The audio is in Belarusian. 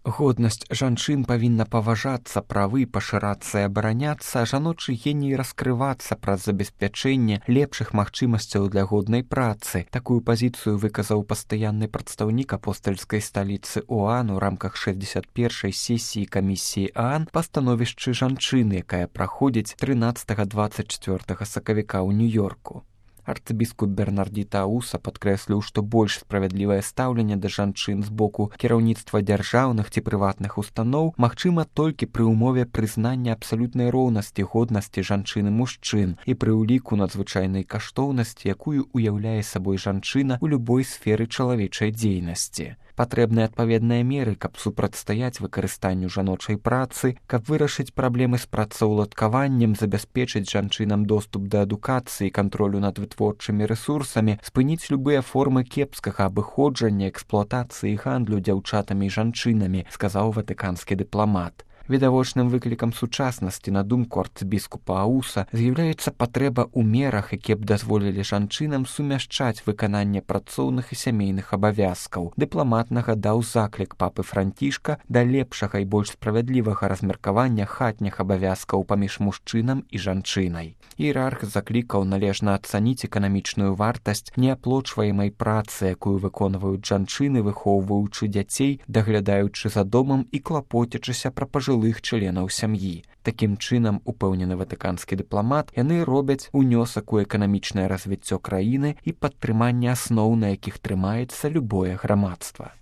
Годнасць жанчын павінна паважацца, правы пашырацца і абараняцца, а жаночы геній раскрывацца праз забеспячэнне лепшых магчымасцяў для годнай працы. Такую пазіцыю выказаў пастаянны прадстаўнік апостальскай сталіцы ОАН у рамках 61-й сесіі камісіі ААН па становішчы жанчыны, якая праходзіць 13-24 сакавіка ў Нью-Йорку. Арцыбіскуп Бернардзіта Ауса падкрэсліў, што больш справядлівае стаўленне да жанчын з боку кіраўніцтва дзяржаўных ці прыватных устаноў магчыма толькі пры ўмове прызнання абсалютнай роўнасці годнасці жанчын і мужчын і пры ўліку надзвычайнай каштоўнасці, якую уяўляе сабой жанчына ў любой сферы чалавечай дзейнасці. Патрэбны адпаведныя меры, каб супрацьстаяць выкарыстанню жаночай працы, каб вырашыць праблемы з працаўладкаваннем, забяспечыць жанчынам доступ да адукацыі, кантролю над вытворчымі рэсурсамі, спыніць любыя формы кепскага абыходжання, эксплуатацыі і гандлю дзяўчатамі і жанчынамі, сказаў ватыканскі дыпламат. Відавочным выклікам сучаснасці, на думку арцыбіскупа Ауса, з'яўляецца патрэба ў мерах, якія б дазволілі жанчынам сумяшчаць выкананне працоўных і сямейных абавязкаў. Дыпламат нагадаў заклік папы Францішка да лепшага і больш справядлівага размеркавання хатніх абавязкаў паміж мужчынам і жанчынай. Іерарх заклікаў належна ацаніць эканамічную вартасць неаплочваемай працы, якую выконваюць жанчыны, выхоўваючы дзяцей, даглядаючы за домам і клапоцячыся пра пажылых членаў сям'і. Такім чынам, упэўнены ватыканскі дыпламат, яны робяць унёсак у эканамічнае развіццё краіны і падтрыманне асноў, на якіх трымаецца любое грамадства.